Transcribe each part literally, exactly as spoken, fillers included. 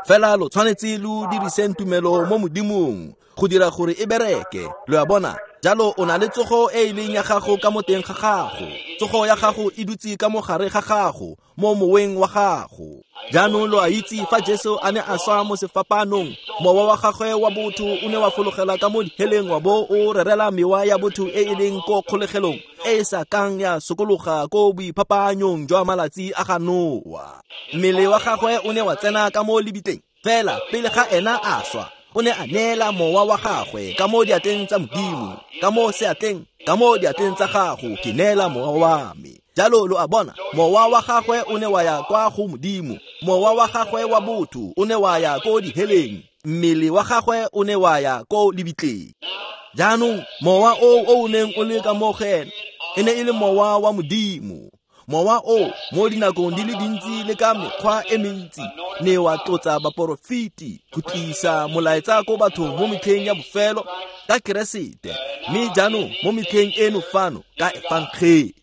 Fela lo tshwanetse lo diriseng tumelo mo Modimong go dira gore e bereke. Lo a bona? Jalo o na le tsogo e e leng ya gago ka mo teng ga gago. Tsogo ya gago e dutse ka mo gare ga gago, mo moweng wa gago. Jaanong lo a itse fa Jesu a ne a swa mo sefapanong, mowa wa gagwe wa botho o ne wa fologela ka mo diheleng wa bo o rerela mewa ya botho e e leng ko kgolegelong e e sa kang ya sokologa ko boiphapanyong jwa malatsi a ga Noa. Mmele wa gagwe o ne wa tsena ka mo lebitleng, fela pele ga ena a swa, o ne a neela mowa wa gagwe ka mo diatleng tsa Modimo, ka mo seatleng, ka mo diatleng tsa gago ke neela mowa wa me. Jalo lo a bona, mowa wa gagwe o ne wa ya kwa go Modimo, mowa wa gagwe wa botho o ne wa ya ko diheleng, mmele wa gagwe o ne wa ya ko lebitleng. Jaanong mowa o o neng o le ka mo go ene e ne e le mowa wa Modimo. Mowa o mo dinakong di le dintsi le ka mekgwa e mentsi ne wa tlotsa baporofeti go tlisa molaetsa ko bathong mo metlheng ya bofelo ka Keresete, mme jaanong mo metlheng eno fano ka efangedi.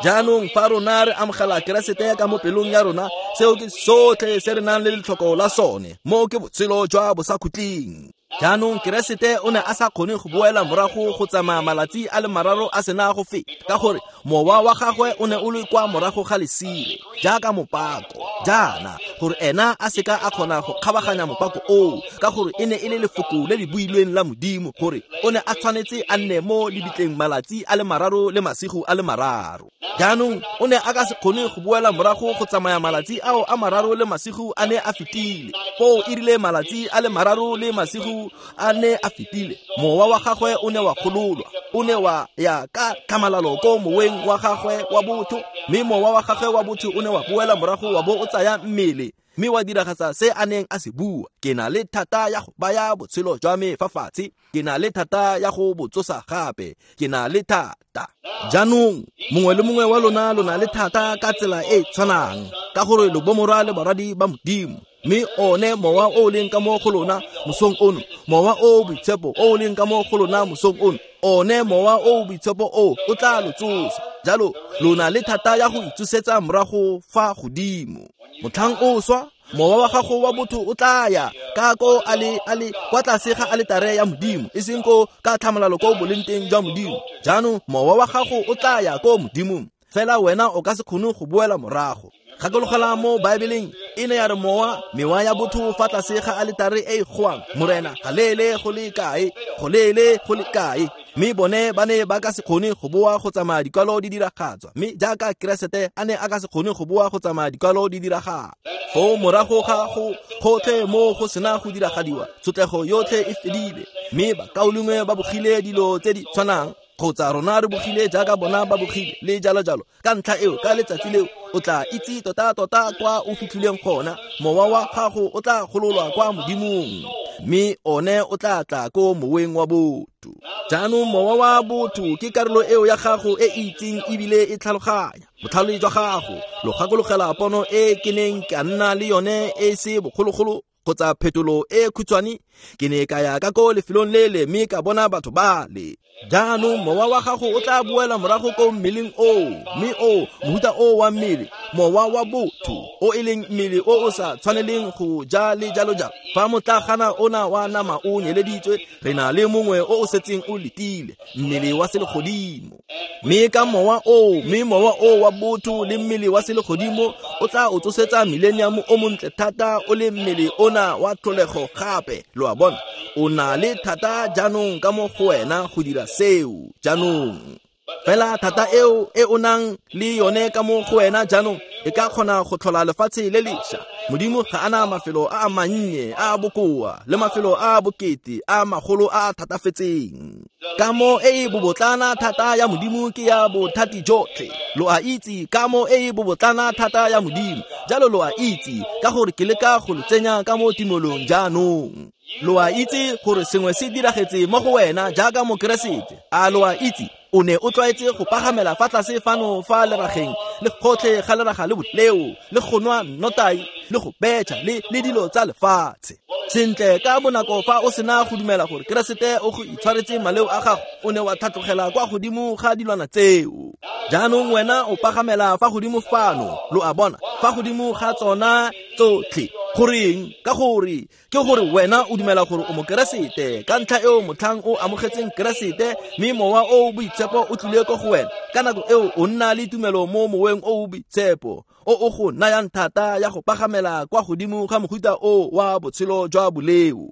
Jaanong fa rona re amogela Keresete ka mo pelong ya rona, seo ke sotlhe se re nang le letlhoko la sone, mo ke botshelo jwa bosakhutleng. Jaanong Keresete o ne a sa kgone go boela morago go tsamaya malatsi a le mararo a sena go feta, ka gore mowa wa gagwe o ne o le kwa morago ga lesire jaaka mopako, jaana gore ena a seka a kgona go kgabaganya mopako oo, ka gore e ne e le lefoko le le builweng la Modimo gore o ne a tshwanetse a nne mo lebitleng malatsi a le mararo le masigo a le mararo. Jaanong o ne a ka se kgone go boela morago go tsamaya malatsi ao a mararo le masigo a ne a fetile. Foo e rile malatsi a le mararo le masigo a ne a fetile, mowa wa gagwe o ne wa gololwa, o ne wa ya ka tlhamalalo ko moweng wa gagwe wa botho, mme mowa wa gagwe wa botho o ne wa boela morago wa bo o tsaya mmele, mme wa diragatsa se a neng a se bua. Ke na le thata ya go baya botshelo jwa me fa fatshe, ke na le thata ya go bo tsosa gape, ke na le thata. Jaanong mongwe le mongwe wa lona lo na le thata ka tsela e e tshwanang, ka gore lo bomorwa le barwadi ba Modimo. Mme one mowa o leng ka mo go lona mosong ono, mowa o boitshepo o leng ka mo go lona mosong ono, one mowa o boitshepo o o tla lo tsosa. Jalo lo na le thata ya go itsosetsa morago fa godimo. Motlhang o swa, mowa wa gago wa botho o tla ya ka ko a le a le kwa tlase ga aletare ya Modimo, e seng ko ka tlhamalalo ko boleng teng jwa Modimo. Jaanong mowa wa gago o tla ya ko Modimong, fela wena o ka se kgone go boela morago. Gakologela mo Baebeleng e ne ya re mowa mewa ya botho fa tlase ga aletare e e goang, Morena ga leele go le kae, go leele go le kae. Mme bone ba ne ba ka se kgone go boa go tsamaya dikwalo di diragatswa, mme jaaka Keresete a ne a ka se kgone go boa go tsamaya dikwalo di diragala. Foo morago ga go gotlhe mo go sena go diragadiwa, tshotlego yotlhe e fedile, mme bakaulengwe ba bogile dilo tse di tshwanang, kgotsa rona re bogile jaaka bona ba bogile, le jalo jalo. Ka ntlha eo, ka letsatsi leo o tla itse tota-tota kwa o fitlhileng gona. Mowa wa gago o tla gololwa kwa Modimong, mme one o tla tla ko moweng wa botho. Jaanong mowa wa botho ke karolo eo ya gago e e itseng ebile e tlhaloganya botlhale jwa gago. Lo gakologela pono e ke neng ka nna le yone e se bogologolo kgotsa phetolo e khutshwane? Ke ne ka ya ka ko lefelong lele mme ka bona batho bale. Jaanong mowa wa gago o tla boela morago ko mmeleng oo, mme o mohuta o wa mmele, mowa wa botho o e leng mmele o o sa tshwaneleng go ja le jalo jalo. Fa motlagana ona wa nama o nyeleditswe, re na le mongwe o o setseng o letile, mmele wa selegodimo. Mme ka mowa oo, mme mowa o wa botho le mmele wa selegodimo o tla o tsosetsa millennium o montle thata o le mmele ona wa tlholego gape. Lo a bona, o na le thata jaanong ka mo go wena go dira seo jaanong. Fela thata eo e o nang le yone ka mo go wena jaanong e ka kgona go tlhola lefatshe le lešwa. Modimo ga ana mafelo a a mannye a a bokoa le mafelo a a bokete a magolo a a thatafetseng. Kamo e e bobotlana thata ya Modimo ke ya bothati jotlhe. Lo a itse kamo e e bobotlana thata ya Modimo. Jalo lo a itse ka gore ke leka go lo tsenya ka mo timolong jaanong. Lo a itse gore sengwe se diragetse mo go wena jaaka Mokeresete. A lo a itse o ne o tlwaetse go pagamela fa tlase fano fa lerageng le gotlhe ga leraga le botleo le go nwa nnotai le go betšha le le dilo tsa lefatshe. Sentle ka bonako fa o sena go dumela gore Keresete o go itshwaretse maleo a gago, o ne wa tlhatlogela kwa godimo ga dilwana tseo. Jaanong wena o pagamela fa godimo fano, lo a bona, fa godimo ga tsona tsotlhe. Goreng? Ka gore ke gore wena o dumela gore o mokeresete. Ka ntlha eo motlhang o amogetseng Keresete, mme mowa o o boitshepo o tlile ko go wena, ka nako eo o nna le tumelo mo moweng o o boitshepo o o go nayang thata ya go pagamela kwa godimo ga mohuta o wa botshelo jwa boleo.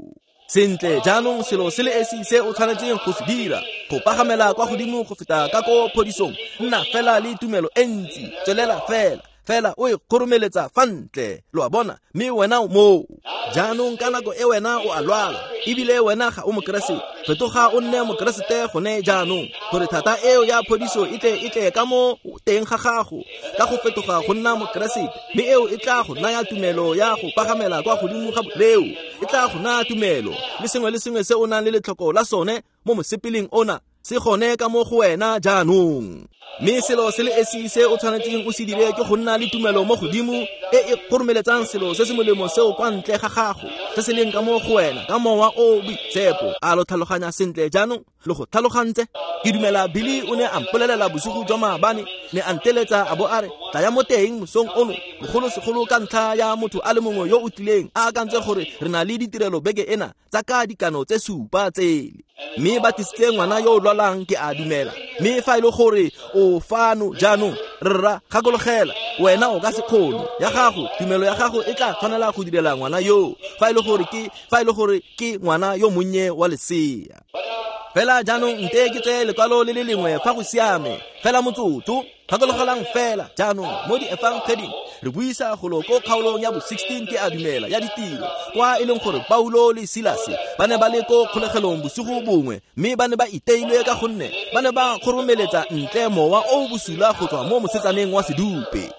Sentle jaanong selo se le esi se o tshwanetseng go se dira go pagamela kwa godimo go feta ka ko phodisong, nna fela le tumelo e ntsi, tswelela fela fela o e kgoromeletsa fa ntle, lo a bona, mme wena o moo. Jaanong ka nako e wena o a lwala, ebile wena ga o mokeresete, fetoga o nne mokeresete gone jaanong, gore thata eo ya phodiso e tle e tle ka mo teng ga gago, ka go fetoga go nna mokeresete, mme eo e tla go naya tumelo ya go pagamela kwa godimo ga boleo, e tla go naya tumelo le sengwe le sengwe se o nang le letlhoko la sone mo mosepeleng ona, se gone ka mo go wena jaanong. Mme selo se le esi se o tshwanetseng o se dire ke go nna le tumelo mo godimo e e kgoromeletsang selo se se molemo seo kwa ntle ga gago, se se leng ka mo go wena ka mowa o o boitshepo. A lo tlhaloganya sentle jaanong? Le go tlhalogantse? Ke dumela Billy o ne a mpolelela bosigo jwa maabane, ne a nteletsa a bo a re tlaya mo teng mosong ono, bogolosegolo ka ntlha ya motho a le mongwe yo o tlileng a akantse gore re na le ditirelo beke ena tsa ka dikano tse supa tsele, mme ba tlisitse ngwana yo o lwalang, ke a dumela. Mme fa e le gore o fano jaanong, rra, gakologela, wena o ka se kgone, ya gago tumelo ya gago e tla tshwanela go direla ngwana yo, fa e le gore ke fa e le gore ke ngwana yo monnye wa lesea. Fela jaanong nte ke tseye lekwalo le le lengwe fa go siame, fela motsotso. Gakologelang fela jaanong mo di-efangeding re buisa golo ko kgaolong ya bo sixteen, ke a dumela, ya ditiro, kwa e leng gore Paulo le Silase ba ne ba le ko kgolegelong bosigo bongwe, mme ba ne ba iteilwe ka gonne ba ne ba kgoromeletsa ntle mowa o o bosula go tswa mo mosetsaneng wa sedupe.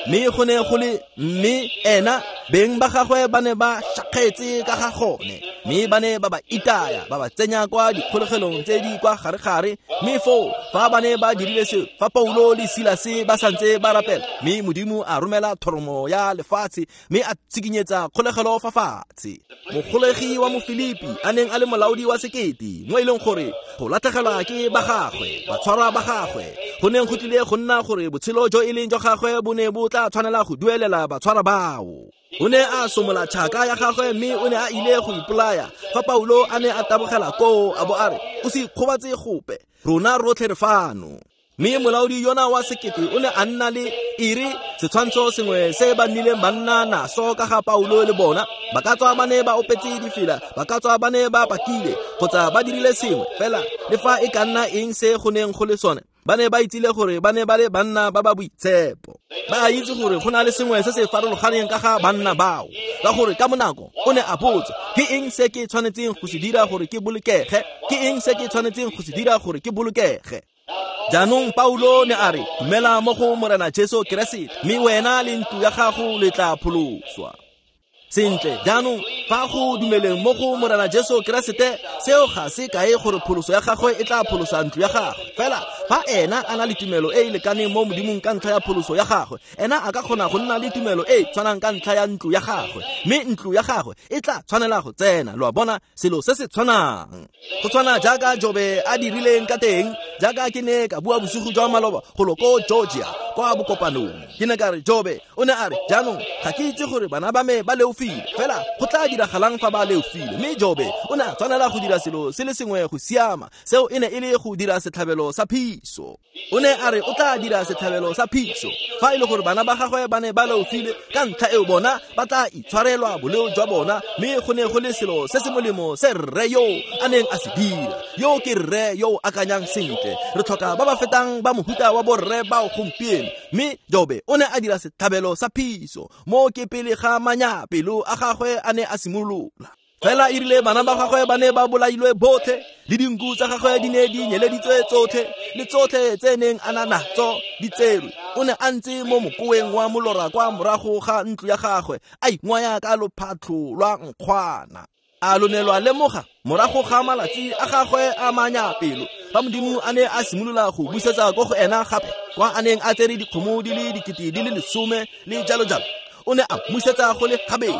Mme go ne go le mme ena beng ba gagwe ba ne ba shakgetse ka ga gone, mme ba ne ba ba itaya ba ba tsenya kwa dikgolegelong tse di kwa gare-gare. Mme foo fa ba ne ba dirile seo, fa Paulo le Silase ba santse ba rapela, mme Modimo a romela thoromo ya lefatshe mme a tshikinyetsa kgolegelo fa fatshe. Mogolegi wa Mofilipi a neng a le molaodi wa sekete, mo e leng gore go latlhegelwa ke ba gagwe, batshwarwa ba gagwe, go neng go tlile go nna gore botshelo jo e leng jwa gagwe bo ne bo tla tshwanela go duelela batshwarwa bao. O ne a somola tšhaka ya gagwe mme o ne a ile go ipolaya fa Paulo a ne a tabogela koo a bo a re, o se ikgobatse gope, rona rotlhe re fano. Mme molaodi yona wa sekete o ne a nna le ere setshwantsho sengwe se ba nnileng ba nna naso ka ga Paulo le bona, ba ka tswa ba ne ba opetse difela, ba ka tswa ba ne ba pakile kgotsa ba dirile sengwe fela, le fa e ka nna eng se go neng go le sone, ba ne ba itsile gore ba ne ba le banna ba ba boitshepo. Ba itse gore go na le sengwe se se farologaneng ka ga banna bao, ka gore ka monako o ne a botsa, ke eng se ke tshwanetseng go se dira gore ke bolokege? Ke eng se ke tshwanetseng go se dira gore ke bolokege? Jaanong Paulo ne a re, dumela mo go Morena Jesu Keresete, mme wena le ntlo ya gago le tla pholoswa. Sentle jaanong fa go dumeleng mo go Morena Jesu Keresete, seo ga se kae gore pholoso ya gagwe e tla pholosa ntlo ya gagwe. Fela fa ena a na le tumelo e e lekaneng mo Modimong ka ntlha ya pholoso ya gagwe, ena a ka kgona go nna le tumelo e e tshwanang ka ntlha ya ntlo ya gagwe, mme ntlo ya gagwe e tla tshwanela go tsena. Lo a bona, selo se se tshwanang go tshwana jaaka Jobe a dirileng ka teng, jaaka ke ne ka bua bosigo jwa maloba golo ko Georgia kwa bokopanong. Ke ne ka re Jobe o ne a re, jaanong ga ke itse gore bana ba me ba leofile, fela go tla diragalang fa ba leofile. Mme Jobe o ne a tshwanela go dira selo se le sengwe go siama, seo e ne e le go dira setlhabelo sa phiso. O ne a re o tla dira setlhabelo sa phiso fa e le gore bana ba gagwe ba ne ba leofile, ka ntlha eo bona ba tla itshwarelwa boleo jwa bona. Mme go ne go le selo se se molemo se rre yo a neng a se dira. Yo ke rre yo o akanyang sentle. Re tlhoka ba ba fetang ba mohuta wa borre bao gompieno. Mme Jobe o ne a dira setlhabelo sa phiso mo ke pele ga manyapelo a gagwe a ne a simolola. Fela e rile bana ba gagwe ba ne ba bolailwe botlhe, le dinku tsa gagwe di ne di nyeleditswe tsotlhe, le tsotlhe tse neng a na natso di tserwe. O ne a ntse mo mokoeng wa molora kwa morago ga ntlo ya gagwe, a ingwaya ka lophatlho lwa nkgwana. A lo ne lwa lemoga morago ga malatsi a gagwe a manyapelo, fa Modimo a ne a simolola go busetsa ko go ena gape, kwa a neng a tsere dikgomo di le dikete di le lesome le jalo jalo, o ne a mmusetsa go le gabedi.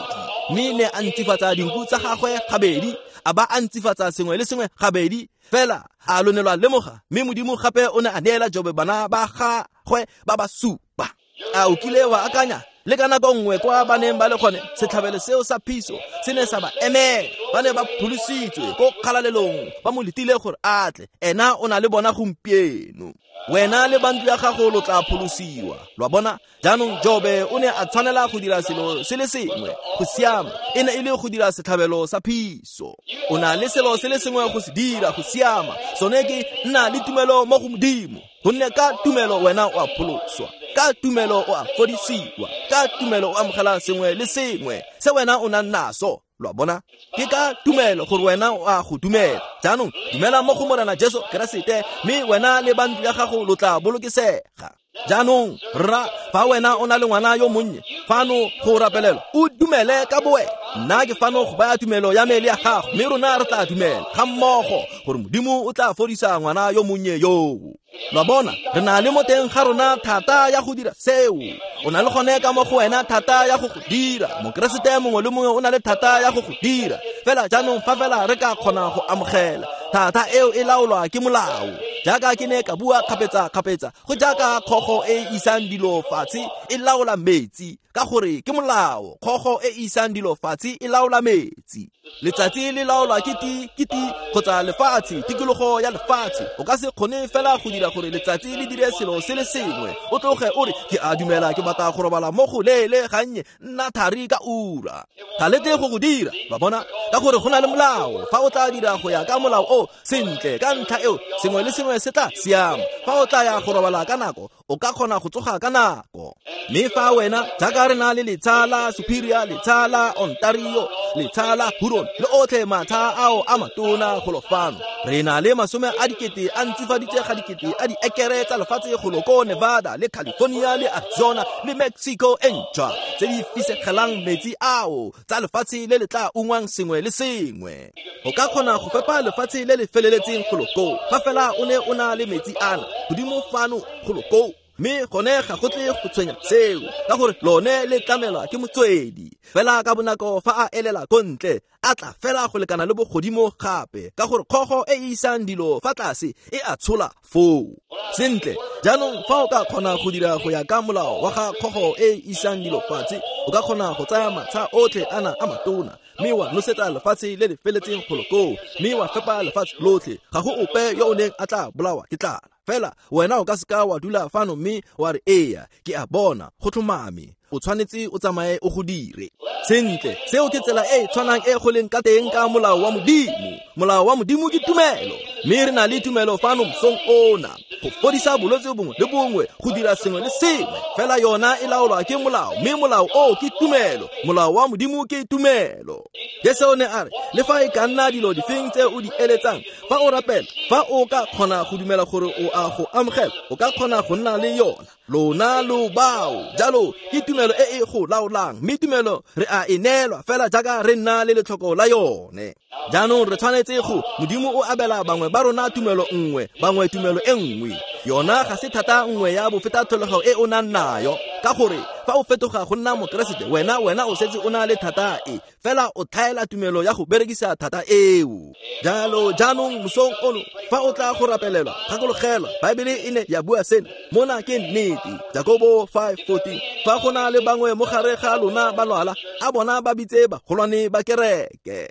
Mme ne a ntsifatsa dinku tsa gagwe gabedi, a ba a ntsifatsa sengwe le sengwe gabedi. Fela a lo ne lwa lemoga, mme Modimo gape o ne a neela Jobe bana ba gagwe ba ba supa. A o kile wa akanya le ka nako nngwe kwa ba neng ba le gone, setlhabelo seo sa phiso se ne sa ba emela. Ba ne ba pholositswe ko kgalalelong, ba mo letile gore a tle. Ena o na le bona gompieno. Wena le bantlo ya gago lo tla pholosiwa. Lo a bona? Jaanong Jobe o ne a tshwanela go dira selo se le sengwe go siama, e ne e le go dira setlhabelo sa phiso. O na le selo se le sengwe go se dira go siama, sone ke nna le tumelo mo go Modimo. Gonne ka tumelo wena o a pholoswa, ka tumelo o a fodisiwa, ka tumelo o amogela sengwe le sengwe se wena o nang naso. Lo a bona? Ke ka tumelo gore wena o a go dumela. Jaanong dumela mo go Morena Jesu Keresete, mme wena le bantlo ya gago lo tla bolokesega. Jaanong rra, fa wena o na le ngwana yo monnye fano go rapelelwa, o dumele ka bowena. Nna ke fano go baya tumelo ya me le ya gago, mme rona re tla dumela ga mmogo gore Modimo o tla fodisa ngwana yo monnye yoo. Lo a bona? Re na le mo teng ga rona thata ya go dira seo. O na le gone ka mo go wena thata ya go go dira. Mokeresete mongwe le mongwe o na le thata ya go go dira. Fela jaanong fa fela re ka kgona go amogela thata eo e laolwa ke molao. Jaaka ke ne ka bua kgapetsa-kgapetsa, go jaaka kgogo e isang dilo fatshe e laola metsi, ka gore ke molao. Kgogo e isang dilo fatshe e laola metsi. Letsatsi le laolwa ke ti ke ti kgotsa lefatshe, tikologo ya lefatshe. O ka se kgone fela go dira gore letsatsi le dire selo se le sengwe, o tloge o re ke a dumela ke batla go robala mo go leele gannye, nna thari ka ura. Ga le tle go go dira, ba bona? Ka gore go na le molao. Fa o tla dira go ya ka molao o sentle, ka ntlha eo sengwe le sengwe se tla siama. Fa o tla ya go robala ka nako, o ka kgona go tsoga ka nako. Mme fa wena, jaaka re na le letsha la Superior, letsha la Ontario, letsha la Huron, le otlhe matsha ao a matona golo fano, re na le masome a dikete a ntsifaditse ga dikete a diekere tsa lefatshe golo ko Nevada le California le Arizona le Mexico e ntšhwa, tse di fisegelang metsi ao tsa lefatshe le le tla ungwang sengwe le sengwe. O ka kgona go fepa lefatshe le le feleletseng golo koo, fa fela o ne o na le metsi ana godimo fano golo koo. Mme gone ga go tle go tshwenya seo, ka gore lone le tlamelwa ke motswedi. Fela ka bonako fa a elela ko ntle, a tla fela go lekana le bogodimo gape, ka gore kgogo e e isang dilo fa tlase e a tshola foo. Sentle, jaanong fa o ka kgona go dira go ya ka molao wa ga kgogo e e isang dilo fatshe, o ka kgona go tsaya matsha otlhe ana a matona, mme wa nosetsa lefatshe le le feletseng golo koo, mme wa fepa lefatshe lotlhe. Ga go ope yo o neng a tla bolawa ke tlala. Fela wena o ka seka wa dula fano mme wa re eya, ke a bona, go tlhomame. O tshwanetse o tsamaye o go dire. Sentle, seo ke tsela e e tshwanang e go leng ka teng ka molao wa Modimo. Molao wa Modimo ke tumelo, mme re na le tumelo fano mosong ona go fodisa bolwetse bongwe le bongwe, go dira sengwe le sengwe. Fela yona e laolwa ke molao, mme molao o ke tumelo. Molao wa Modimo ke tumelo. Jesu o ne a re, le fa e ka nna dilo difeng tse o di eletsang, fa o rapela, fa o ka kgona go dumela gore o a go amogela, o ka kgona go nna le yona. Lona lo bao. Jalo ke tumelo e e go laolang, mme tumelo re a e neelwa fela jaaka re nna le letlhoko la yone. Jaanong re tshwanetse go, Modimo o abela bangwe ba rona tumelo nngwe, bangwe tumelo e nngwe. Yona ga se thata nngwe ya bofetatlholego e o nang nayo, ka gore fa o fetoga go nna Mokeresete, wena wena o setse o na le thata e, fela o tlhaela tumelo ya go berekisa thata eo. Jalo jaanong mosong ono, fa o tla go rapelelwa, gakologelwa Baebele e ne ya bua sena. Mona ke nnete, Jakobo five fourteen. Fa go na le bangwe mo gare ga lona ba lwala, a bona ba bitse bagolwane ba kereke,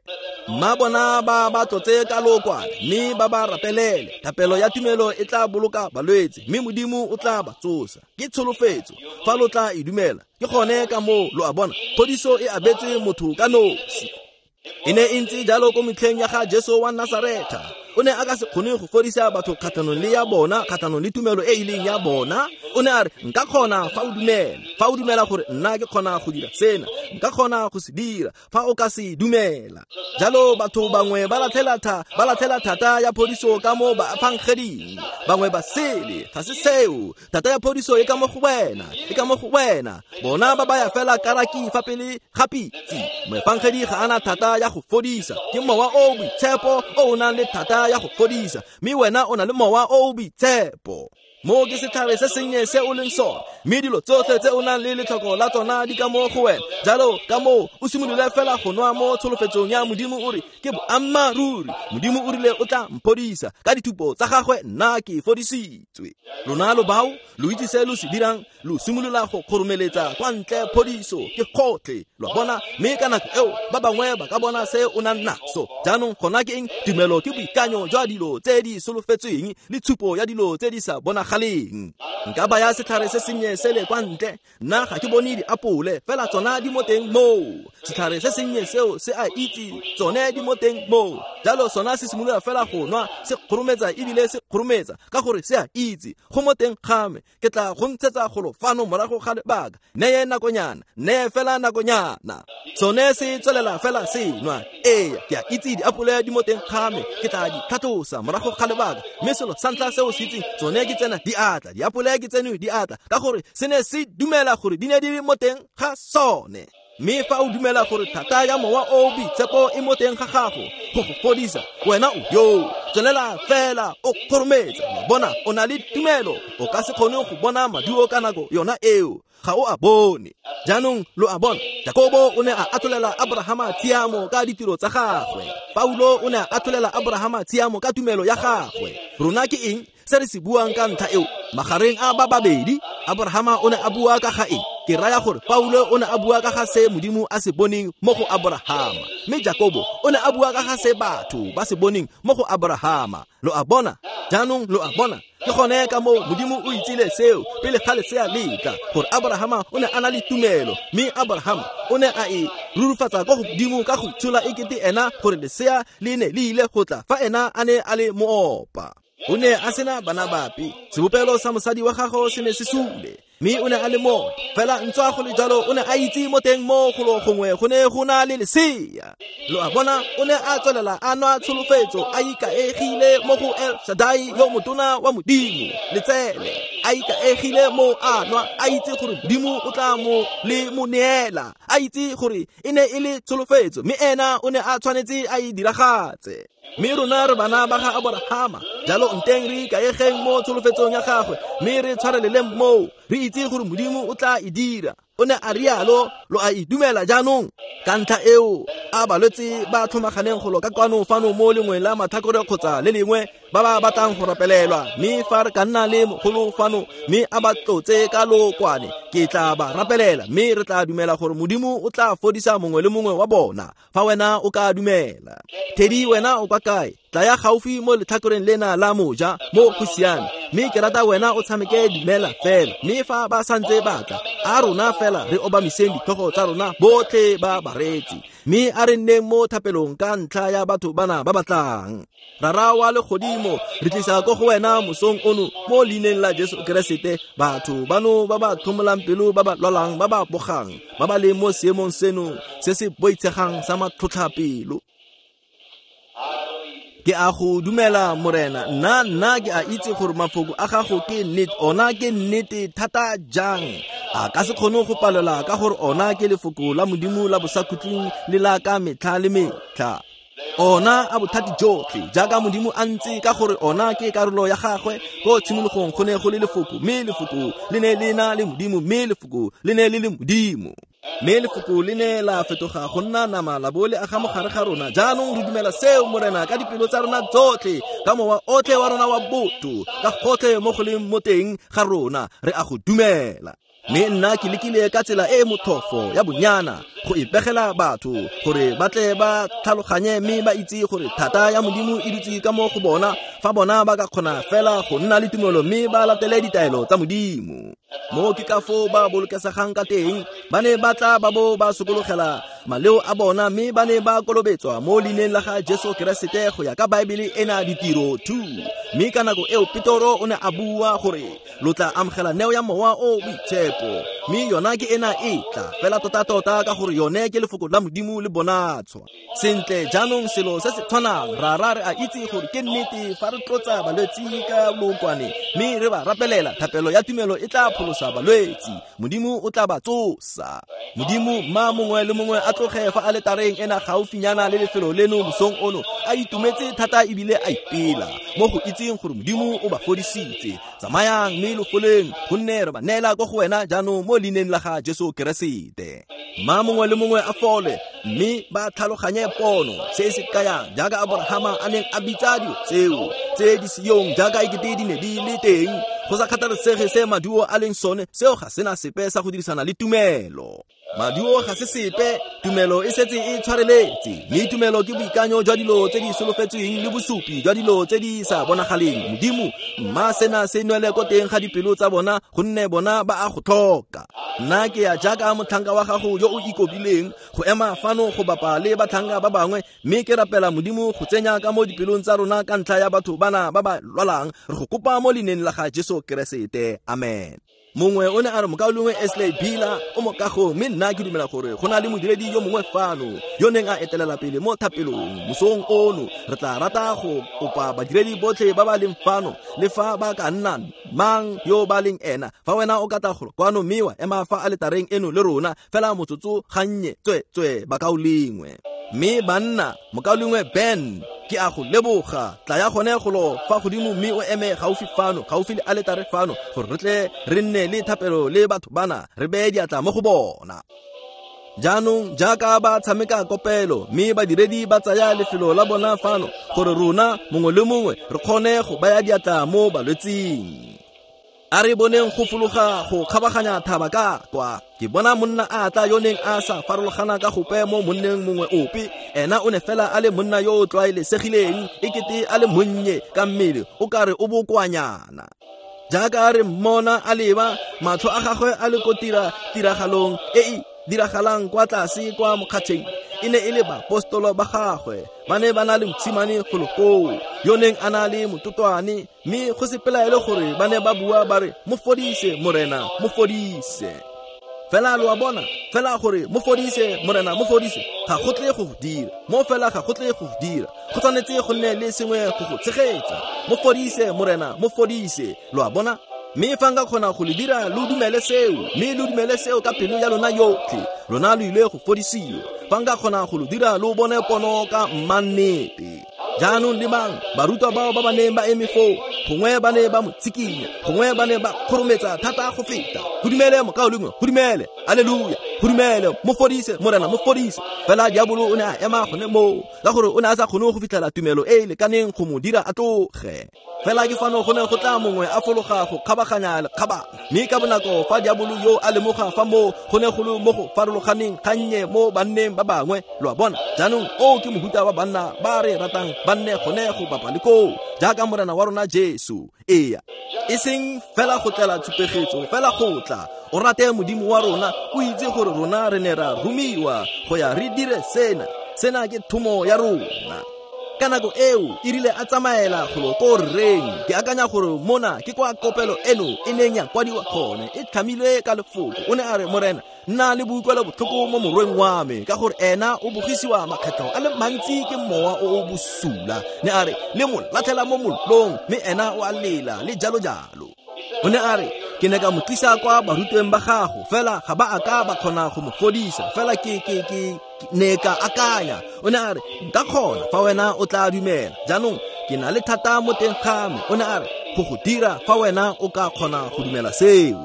mma bona ba ba tlotse ka lookwane, mme ba ba rapelele. Thapelo ya tumelo e tla boloka balwetse, mme Modimo o tla ba tsosa. Ke tsholofetso, fa lo tla e dumela. Ke gone ka moo, lo a bona, phodiso e abetswe motho ka nosi. E ne e ntse jalo ko metlheng ya ga Jesu wa Nasaretha. O ne a ka se kgone go fodisa batho kgatlhanong le ya bona, kgatlhanong le tumelo e e leng ya bona. O ne a re, nka kgona fa o dumela. Fa o dumela gore nna ke kgona go dira sena, nka kgona go se dira fa o ka se dumela. Jalo batho bangwe ba latlhela tha, ba latlhela thata ya phodiso ka mo baefangeding, bangwe ba sele. Ga se seo. Thata ya phodiso e ka mo go wena, e ka mo go wena. Bona ba baya fela karaki fa pele ga pitse. Moefangedi ga ana thata ya go fodisa, ke mowa o boitshepo o o nang le thata ya go fodisa, mme wena o na le mowa o o boitshepo. Mo ke setlhare se sennye se o leng sone, mme dilo tsotlhe tse o nang le letlhoko la tsona di ka mo go wena. Jalo ka moo o simolole fela go nwa mo tsholofetsong ya Modimo, o re ke boammaaruri, Modimo o rile o tla mphodisa, ka dithupo tsa gagwe nna ke fodisitswe. Lona lo bao lo itse se lo se dirang, lo simolola go kgoromeletsa kwa ntle phodiso ke gotlhe, lo a bona. Mme ka nako eo ba bangwe ba ka bona se o nang naso. Jaanong gona ke eng? Tumelo ke boikanyo jwa dilo tse di solofetsweng le tshupo ya dilo tse di sa bonagaleng. Nka baya setlhare se sennye sele kwa ntle, nna ga ke bone diapole, fela tsona di mo teng moo. Setlhare se sennye seo se a itse tsone di mo teng moo. Jalo sona se simolola fela go nwa, se kgorometsa ebile se kgorometsa, ka gore se a itse go mo teng ga me. Ke tla go ntshetsa golo fano morago ga lebaka, neye nakonyana, neye fela nakonyana. Sone se tswelela fela se nwa. Ee, ke a itse diapole di mo teng ga me, ke tla di tlhatlosa morago ga lebaka. Mme selo sa ntlha seo se itseng, tsone ke tsena di atla, diapole ke tseno di atla, ka gore se ne se dumela gore di ne di le mo teng ga sone. Mme fa o dumela gore thata ya mowa o boitshepo e mo teng ga gago go go fodisa, wena o yo tswelela fela o kgorometsa. Bona, o na le tumelo, o ka se kgone go bona maduo ka nako yona eo, ga o a bone. Jaanong lo a bona, Jakobo o ne a atholela Abrahama tshiamo ka ditiro tsa gagwe, Paulo o ne a atholela Abrahama tshiamo ka tumelo ya gagwe. Rona ke eng se re se buang ka ntlha eo? Magareng a ba babedi, Abrahama o ne a bua ka ga eng? Ke raya gore Paulo o ne a bua ka ga se Modimo a se boneng mo go Abrahama, mme Jakobo o ne a bua ka ga se batho ba se boneng mo go Abrahama. Lo a bona? Jaanong lo a bona, ke gone ka moo Modimo o itsile seo pele ga lesea le tla, gore Abrahama o ne a na le tumelo, mme Abrahama o ne a e rurufatsa kwa godimo ka go tshola ekete ena gore lesea le ne le ile go tla fa ena a ne a le moopa. O ne a sena bana bape, sebopelo sa mosadi wa gagwe se ne se sule, mme o ne a le moopa. Fela ntswa go le jalo o ne a itse mo teng mo golo gongwe go ne go na le lesea. Lo a bona, o ne a tswelela a nwa tsholofetso, a ikaegile mo go El Shaddai yo motona wa Modimo, letsele a ikaegile mo a nwa, a itse gore Modimo o tla mo le mo neela, a itse gore e ne e le tsholofetso, mme ena o ne a tshwanetse a e diragatse. Mme rona re bana ba ga Abrahama, jalo nteng re ikaegeng mo tsholofetsong ya gagwe, mme re tshwareleleng moo, re itse gore Modimo o tla e dira. O ne a rialo, lo a e dumela jaanong. Ka ntlha eo, a balwetse ba tlhomaganeng golo ka kwano fano mo lengwe la matlhakore kgotsa le lengwe ba ba batlang go rapelelwa, mme fa re ka nna le mogolo fano mme a ba tlotse ka lokwane, ke tla ba rapelela, mme re tla dumela gore Modimo o tla fodisa mongwe le mongwe wa bona fa wena o ka dumela. Teddy, wena o kwa kae? Tlaya gaufi mo letlhakoreng lena la moja mo go siame, mme ke rata wena o tshameke dumela fela. Mme fa ba santse batla, a rona fela re obamiseng ditlhogo tsa rona botlhe ba bareetsi, mme a re nneng mo thapelong ka ntlha ya batho bana ba batlang. Rara wa legodimo, re tlisa ko go wena mosong ono mo leineng la Jesu Keresete batho bano ba ba tlhomolang pelo, ba ba lwalang, ba ba bogang, ba ba leng mo seemong seno se se boitshegang sa matlhotlhapelo. Ke a go dumela Morena, nna nna ke a itse gore mafoko a gago ke nnete, ona ke nnete thata jang. A ka se kgone go palelwa ka gore ona ke lefoko la Modimo la bosakhutleng le la ka metlha le metlha. Ona a bothati jotlhe jaaka Modimo a ntse, ka gore ona ke karolo ya gagwe. Ko tshimologong go ne go le lefoko, mme lefoko le ne le na le Modimo, mme lefoko le ne le le Modimo. Mme lefoko le ne la fetoga go nna nama la bo le aga mo gare ga rona. Jaanong re dumela seo Morena ka dipelo tsa rona tsotlhe, ka mowa otlhe wa rona wa botho, ka gotlhe mo go leng mo teng ga rona, re a go dumela. Mme nna ke lekile ka tsela e e motlhofo ya bonyana go ipegela batho gore ba tle ba tlhaloganye mme ba itse gore thata ya Modimo e dutse ka mo go bona, fa bona ba ka kgona fela go nna le tumelo mme ba latele ditaelo tsa Modimo. Mo ke ka foo ba bolokesegang ka teng, ba ne ba tla ba bo ba sokologela maleo a bona, mme ba ne ba kolobetswa mo leineng la ga Jesu Keresete go ya ka Baebele ena ditiro two. Mme ka nako eo Petoro o ne a bua gore lo tla amogela neo ya mowa o boitshepo Mme yona ke ena e tla fela tota-tota ka gore yone ke lefoko la Modimo le bonatshwa. Sentle jaanong selo se se tshwanang ra ra re a itse gore ke nnete fa re tlotsa balwetsi ka lookwane mme re ba rapelela, thapelo ya tumelo e tla pholosa balwetsi, Modimo o tla ba tsosa. Modimo mma mongwe le mongwe a tloge fa aletareng ena gaufinyana le lefelo leno mosong ono a itumetse thata ebile a ipela mo go itseng gore Modimo o ba fodisitse. Tsamayang mme lo foleng, gonne re ba neela ko go wena jaanong mo leineng la ga Jesu Keresete. Mma mongwe le mongwe a fole mme ba tlhaloganye pono se se kayang jaaka Abrahama a neng a bitsa dilo tseo tse di seyong jaaka ekete di ne di le teng. Go sa kgathalesege se maduo a leng sone, seo ga sena sepe sa go dirisana le tumelo. Maduo ga se sepe, tumelo e setse e tshwareletse, mme tumelo ke boikanyo jwa dilo tse di solofetsweng le bosupi jwa dilo tse di sa bonagaleng. Modimo mma sena se nwele ko teng ga dipelo tsa bona, gonne bona ba a go tlhoka. Nna ke ya jaaka motlhanka wa gago yo o ikobileng go ema fano go bapa le batlhanka ba bangwe, mme ke rapela Modimo go tsenya ka mo dipelong tsa rona ka ntlha ya batho bana ba ba lwalang. Re go kopa mo leineng la ga Jesu Keresete, amen. Mongwe o ne a re mokaulengwe Esley Bila o mo kagong, mme nna ke dumela gore go na le modiredi yo mongwe fano yo neng a etelela pele mo thapelong mosong ono. Re tla rata go kopa badiredi botlhe ba ba leng fano, le fa ba ka nna mang yo ba leng ena, fa wena o ka tla golo kwano mme wa ema fa aletareng eno le rona fela motsotso gannye, tswe-tswe bakaulengwe. Mme banna, mokaulengwe Ben, ke a go leboga, tla ya gone golo fa godimo mme o eme gaufi fano, gaufi le aletare fano, gore re tle re nne le thapelo le batho bana, re beye diatla mo go bona. Jaanong jaaka ba tshameka kopelo mme badiredi ba tsaya lefelo la bona fano, gore rona mongwe le mongwe re kgone go baya diatla mo balwetsing. A re boneng go fologa go kgabaganya thaba ka kwa. Ke bona monna a tla yo neng a sa farologana ka gope mo monneng mongwe ope. Ena o ne fela a le monna yo o tlwaelesegileng, ekete a le monnye ka mmele, o kare o bokoanyana. Jaaka re mmona a leba, matlho a gagwe a le ko tira tiragalong e e diragalang kwa tlase kwa mokgatšheng. E ne e le baapostolo ba gagwe, ba ne ba na le mosimane golo koo yo neng a na le mototwane, mme go se pelaelo gore ba ne ba bua ba re, mo fodise Morena, mo fodise. Fela lo a bona, fela gore mo fodise Morena, mo fodise, ga go tle go go dira mo, fela ga go tle go go dira. Go tshwanetse go nne le sengwe go go tshegetsa. Mo fodise Morena, mo fodise, lo a bona. Mme fa nka kgona go le dira lo dumele seo, mme lo dumele seo ka pelo ya lona yotlhe, lona lo ile go fodisiwa. Fa nka kgona go lo dira lo bone pono ka mmannete. Jaanong lebang barutwa bao ba ba neng ba eme foo, gongwe ba ne ba mo tshikinya, gongwe ba ne ba kgorometsa thata go feta. Go dumele mokaulengwe, go dumele, aleluya, go dumele, mo fodise Morena, mo fodise. Fela diabolo o ne a ema gone moo, ka gore o ne a sa kgone go fitlhela tumelo e e lekaneng go mo dira a tloge. Fela ke fano go ne go tla mongwe a fologa go kgabaganya lekgabana, mme ka bonako fa diabolo yo a lemoga fa moo go ne go le mo go farologaneng gannye mo banneng ba bangwe, lo a bona. Jaanong oo ke mohuta wa banna ba re ratang ba nne gone go bapa le koo, jaaka Morena wa rona Jesu. Ee, e seng fela go tlela tshupegetso, fela go tla o rate Modimo wa rona, o itse gore rona re ne ra romiwa go ya re dire sena, sena ke thomo ya rona. Ka nako eo e rile a tsamaela golo ko rreng, ke akanya gore mona ke kwa kopelo eno e neng ya kwadiwa gone, e tlhamilwe ka lefoko. O ne a re, Morena, nna le boikuelo botlhoko mo morweng wa me, ka gore ena o bogisiwa makgetlho a le mantsi ke mowa o o bosula. Ne a re, le mo latlhela mo mollong, mme ena o a lela, le jalo jalo. O ne a re, ke ne ka mo tlisa kwa barutweng ba gago, fela ga ba a ka ba kgona go mo fodisa, fela ke ke ke ne ka akanya. O ne a re, nka kgona fa wena o tla dumela. Jaanong ke na le thata mo teng ga me. O ne a re, go go dira fa wena o ka kgona go dumela seo.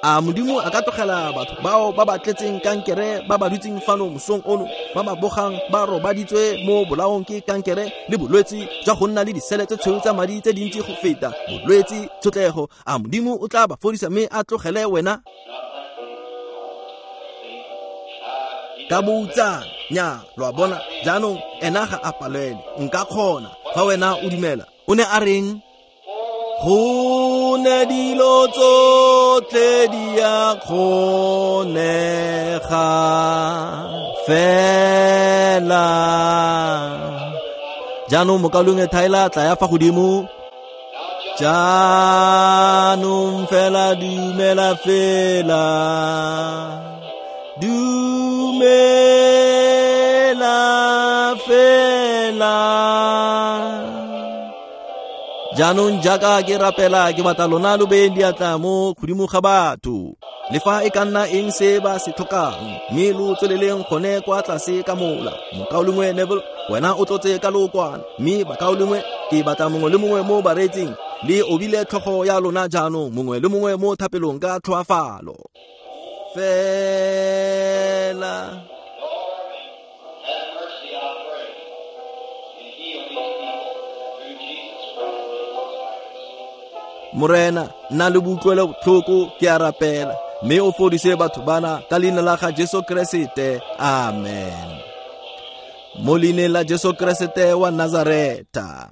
A Modimo a ka tlogela batho bao ba ba tletseng kankere, ba ba dutseng fano mosong ono, ba ba bogang ba robaditswe mo bolaong ke kankere le bolwetsi jwa go nna le disele tse tshweu tsa madi tse dintsi go feta, bolwetsi, tshotlego. A Modimo o tla ba fodisa mme a tlogele wena ka boutsana? Nya, lo a bona. Jaanong ena ga a palelwe, nka kgona fa wena o dumela. O ne a reng? Go ne dilo tsotlhe di a kgonega fela. Jaanong mokaulengwe Tyler, tla ya fa godimo. Jaanong fela dumela fela, dumela fela. Jaanong jaaka ke rapela ke batla lona lo beyeng diatla mo godimo ga batho, le fa e ka nna eng se ba se tlhokang, mme lo tsweleleng gone kwa tlase ka mola. Mokaulengwe Neville, wena o tlotse ka lookwane, mme bakaulengwe ke batla mongwe le mongwe mo bareetsing le obile tlhogo ya lona jaanong, mongwe le mongwe mo thapelong ka tlhoafalo fela. Morena, nna le boutlwelo botlhoko ke a rapela, mme o fodise batho bana ka leina la ga Jesu Keresete. Amen. Mo leineng la Jesu Keresete wa Nazareta.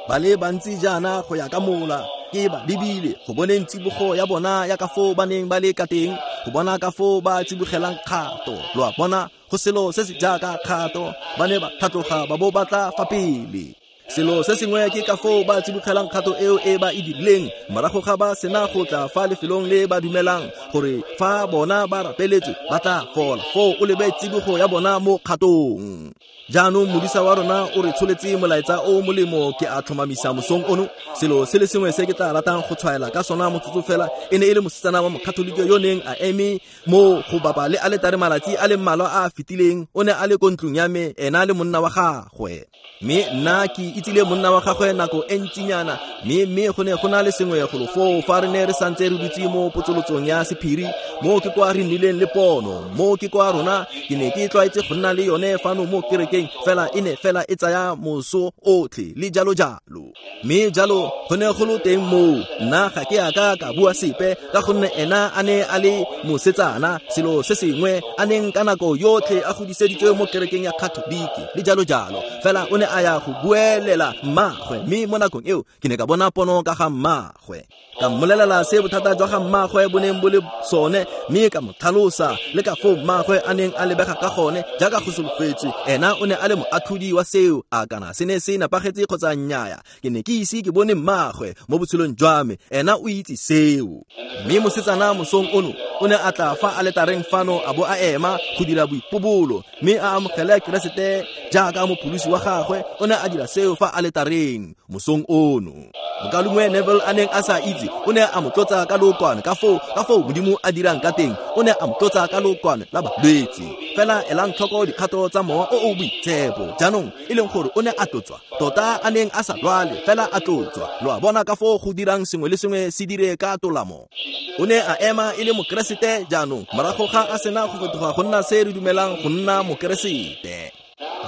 Ba le bantsi jaana go ya ka mola ke ba lebile go boneng tsibogo ya bona ya ka foo ba neng ba le ka teng, go bona ka foo ba tsibogelang kgato. Lo a bona, go selo se se jaaka kgato, ba ne ba tlhatloga ba bo ba tla fa pele. Selo se sengwe ke ka foo ba tsibogelang kgato eo e ba e dirileng morago ga ba sena go tla fa lefelong le ba dumelang gore fa bona ba rapeletswe ba tla fola. Foo o lebe tsibogo ya bona mo kgatong. Jaanong modisa wa rona o re tsholetse molaetsa o molemo ke a tlhomamisa mosong ono. Selo se le sengwe se ke tla ratang go tshwaela ka sona motsotso fela e ne e le mosetsana wa mokatholike yo neng a eme mo go bapa le aletare malatsi a le mmalwa a a fetileng. O ne a le ko ntlong ya me, ena le monna wa gagwe, mme nna ke itsile monna wa gagwe nako e ntsinyana, mme mme go ne go na le sengwe golo foo fa re ne re santse re dutse mo potsolotsong ya sephiri. Mo ke kwa re nnileng le pono, mo ke kwa rona ke ne ke tlwaetse go nna le yone fano mo kerekeng, fela e ne fela e tsaya moso otlhe le jalo jalo. Mme jalo go ne go le teng moo, nna ga ke a ka ka bua sepe ka gonne ena a ne a le mosetsana, selo se sengwe a neng ka nako yotlhe a godiseditswe mo kerekeng ya Katoliki le jalo jalo. Fela o ne a ya go buelela mmagwe, mme mo nakong eo ke ne ka bona pono ka ga mmagwe. Ka mmolelela se bothata jwa ga mmagwe bo neng bo le sone, mme ka mo tlhalosa le ka foo mmagwe a neng a lebega ka gone jaaka go solofetswe. Ena o ne a le moatlhodi wa seo, a kana se ne se nepagetse kgotsa nnyaya. Ke ne ke ise ke bone mmagwe mo botshelong jwa me, ena o itse seo. Mme mosetsana mosong ono o ne a tla fa aletareng fano a bo a ema go dira boipobolo, mme a amogele Keresete jaaka mopholosi wa gagwe. O ne a dira seo fa aletareng mosong ono. Mokaulengwe Neville a neng a sa itse, o ne a mo tlotsa ka lookwane ka foo ka foo Modimo a dirang ka teng. O ne a mo tlotsa ka lookwane la balwetse. Fela elang tlhoko dikgato tsa mowa o o boitshepo jaanong, e leng gore o ne a tlotswa tota a neng a sa lwale, fela a tlotswa. Lo a bona ka foo go dirang sengwe le sengwe se dire ka tolamo. O ne a ema e le mokeresete jaanong morago ga a sena go fetoga go nna se re dumelang go nna mokeresete.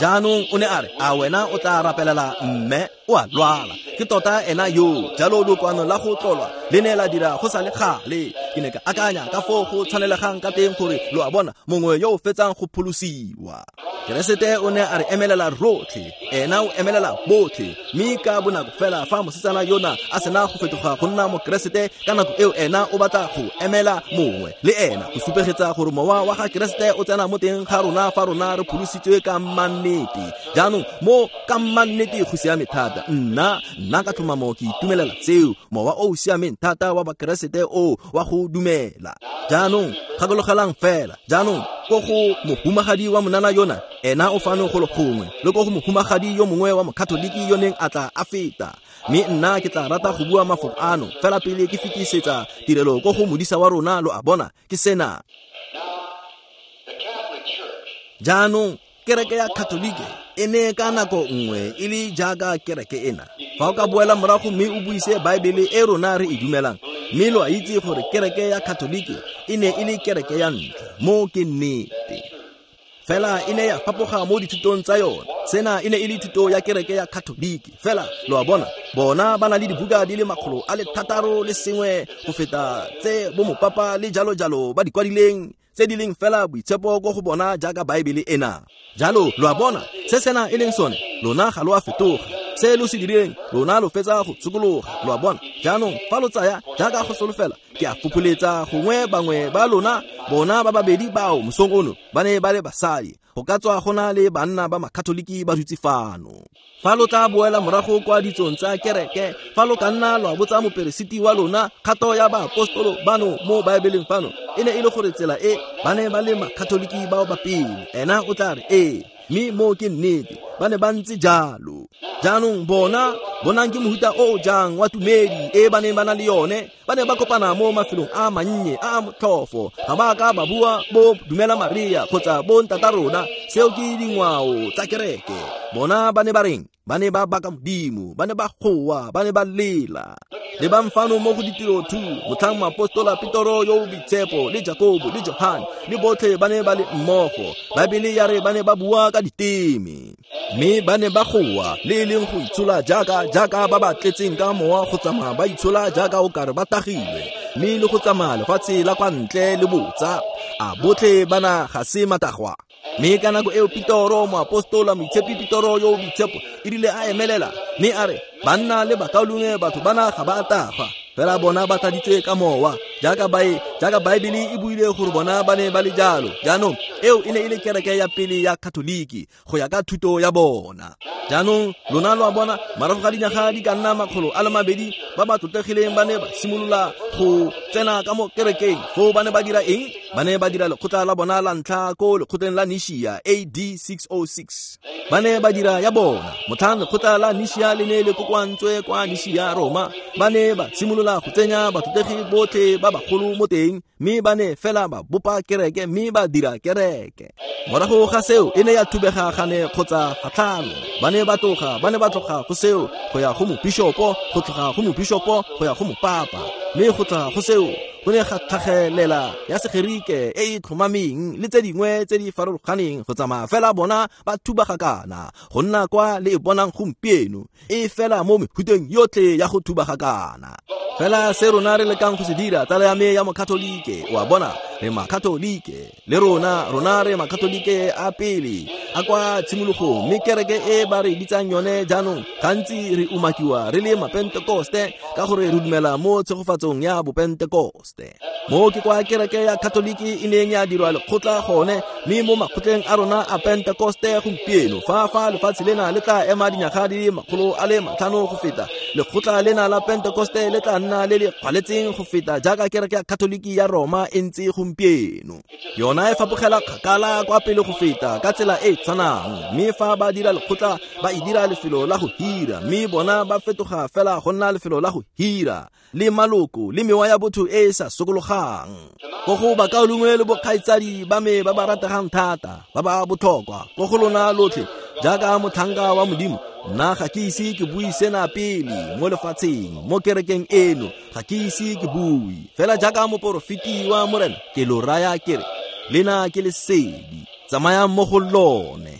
Jaanong o ne a re, a wena o tla rapelela mme o a lwala? Ke tota ena yo. Jalo lokwano la go tlolwa le ne la dira go sa le gale. Ke ne ka akanya ka foo go tshwanelegang ka teng gore lo a bona mongwe yo o fetsang go pholosiwa. Keresete o ne a re emelela rotlhe, ena o emelela botlhe. Mme ka bonako fela fa mosetsana yona a sena go fetoga go nna mokeresete, ka nako eo ena o batla go emela mongwe le ena go supegetsa gore mowa wa ga Keresete o tsena mo teng ga rona fa rona re pholositswe ka mannete. Jaanong mo ka mannete go siame thata. Nna nna ka tlhomamo ke itumelela seo, mowa o o siameng thata wa bakeresete o wa go dumela. Jaanong gakologelang fela, jaanong ko go mohumagadi wa monana yona, ena o fano go le gongwe, le ko go mohumagadi yo mongwe wa mokatoliki yo neng a tla a feta. Mme nna ke tla rata go bua mafoko ano fela pele ke fetisetsa tirelo ko go modisa wa rona. Lo a bona ke sena. Jaanong kereke ya Katolike e ne ka nako nngwe e le jaaka kereke ena. Fa o ka boela morago mme o buise Baebele e rona re e dumelang, mme lo a itse gore kereke ya Katolike e ne e le kereke ya ntlha. Mo ke nnete. Fela e ne ya fapoga mo dithutong tsa yone. Sena e ne e le thuto ya kereke ya Katolike. Fela lo a bona, bona ba na le dibuka di le makgolo a le thataro le sengwe go feta tse bo mopapa le jalo jalo ba di kwadileng, tse di leng fela boitshepo ko go bona jaaka Baebele ena. Jalo lo a bona se sena e leng sone, lona ga lo a fetoga. Se lo se dirileng, lona lo fetsa go sokologa, lo a bona. Jaanong fa lo tsaya jaaka go solofela, ke a fopholetsa gongwe bangwe ba lona, bona ba babedi bao mosong ono ba ne ba le basadi. Go ka tswa go na le banna ba makatoliki ba dutse fano. Fa lo tla boela morago kwa ditsong tsa kereke, fa lo ka nna lwa botsa moperesiti wa lona kgato ya baapostolo bano mo Baebeleng fano, e ne e le gore tsela e ba ne ba le makatoliki bao ba pele. Ena o tla re ee, mme moo ke nnete, ba ne ba ntse jalo. Jaanong bona, bonang ke mohuta o o jang wa tumedi e ba neng ba na le yone. Ba ne ba kopana mo mafelong a mannye a a motlhofo. Ga ba ka ba bua bo dumela Maria kgotsa bo ntata rona. Seo ke dingwao tsa kereke. Bona ba ne ba reng? Ba ne ba baka Modimo, ba ne ba goa, ba ne ba lela. Lebang fano mo go ditiro two, motlhang moapostola Petoro yo o boitshepo le Jakobo le Johane le botlhe ba ne ba le mmogo. Baebele ya re ba ne ba bua ka diteme, mme ba ne ba goa le e leng go itshola jaaka jaaka ba ba tletseng ka mowa, go tsamaya ba itshola jaaka o kare ba tagilwe, mme le go tsamaya lefatshe la kwa ntle le botsa, a botlhe bana ga se matagwa? Mme ka nako eo Petoro, moapostola moitshepi Petoro yo o boitshepo, e rile a emelela mme a re, banna le bakaulengwe, batho bana ga ba tagwa, fela bona ba tladitswe ka mowa, jaaka bae jaaka Baebele e buile gore bona ba ne ba le jalo. Jaanong eo e ne e le kereke ya pele ya Katoliki go ya ka thuto ya bona. Jaanong lona lo a bona, morago ga dinyaga di ka nna makgolo a le mabedi, ba ba tlotlegileng ba ne ba simolola go tsena ka mo kerekeng. Foo ba ne ba dira eng? Ba ne ba dira lekgotla la bona la ntlha ko lekgotleng la Nishia A D six oh six. Ba ne ba dira ya bona. Motlhang lekgotla la Nishia le ne le kokoantswe kwa Nishia, Roma, ba ne ba simolola go tsenya batlotlegi botlhe ba bagolo mo teng, mme ba ne fela ba bopa kereke mme ba dira kereke. Morago ga seo e ne ya thubega gane kgotsa gatlhano. Ba ne ba tloga, ba ne ba tloga go seo go ya go mopishopo, go tloga go mopishopo go ya go mopapa, mme go tloga go seo go ne ga tlhagelela ya Segerike e e tlhomameng le tse dingwe tse di farologaneng, go tsamaya fela bona ba thubagakana go nna kwa le e bonang gompieno, e fela mo mehuteng yotlhe ya go thubagakana. Fela se rona re lekang go se dira, tsala ya me ya mokatolike, o a bona, re makatolike le rona, rona re makatolike a pele a kwa tshimologong, mme kereke e ba re bitsang yone jaanong gantsi re umakiwa re le mapentekoste ka gore re dumela mo tshegofatsong ya bopentekoste. Mo ke kwa kereke ya Katoliki e neng ya dirwa lekgotla gone, mme mo makgotleng a rona a Pentekoste gompieno, fa fa lefatshe lena le tla ema dinyaga di le makgolo a le matlhano go feta, lekgotla lena la Pentekoste le tla nna le le kgwaletseng go feta jaaka kereke ya Katoliki ya Roma e ntse gompieno. Yona e fapogela kgakala kwa pele go feta ka tsela e tshwanang, mme fa ba dira lekgotla ba e dira lefelo la go hira, mme bona ba fetoga fela go nna lefelo la go hira le maloko le mewa ya botho e e sa sokologang. Ko go bakaulengwe le bokgaitsadi ba me ba ba rategang thata, ba ba botlhokwa ko go lona lotlhe, jaaka motlhanka wa Modimo, nna ga ke ise ke bue sena pele mo lefatsheng, mo kerekeng eno ga ke ise ke bue. Fela jaaka moporofeti wa Morena, ke lo raya ke re, lena ke lesedi, tsamayang mo go lone.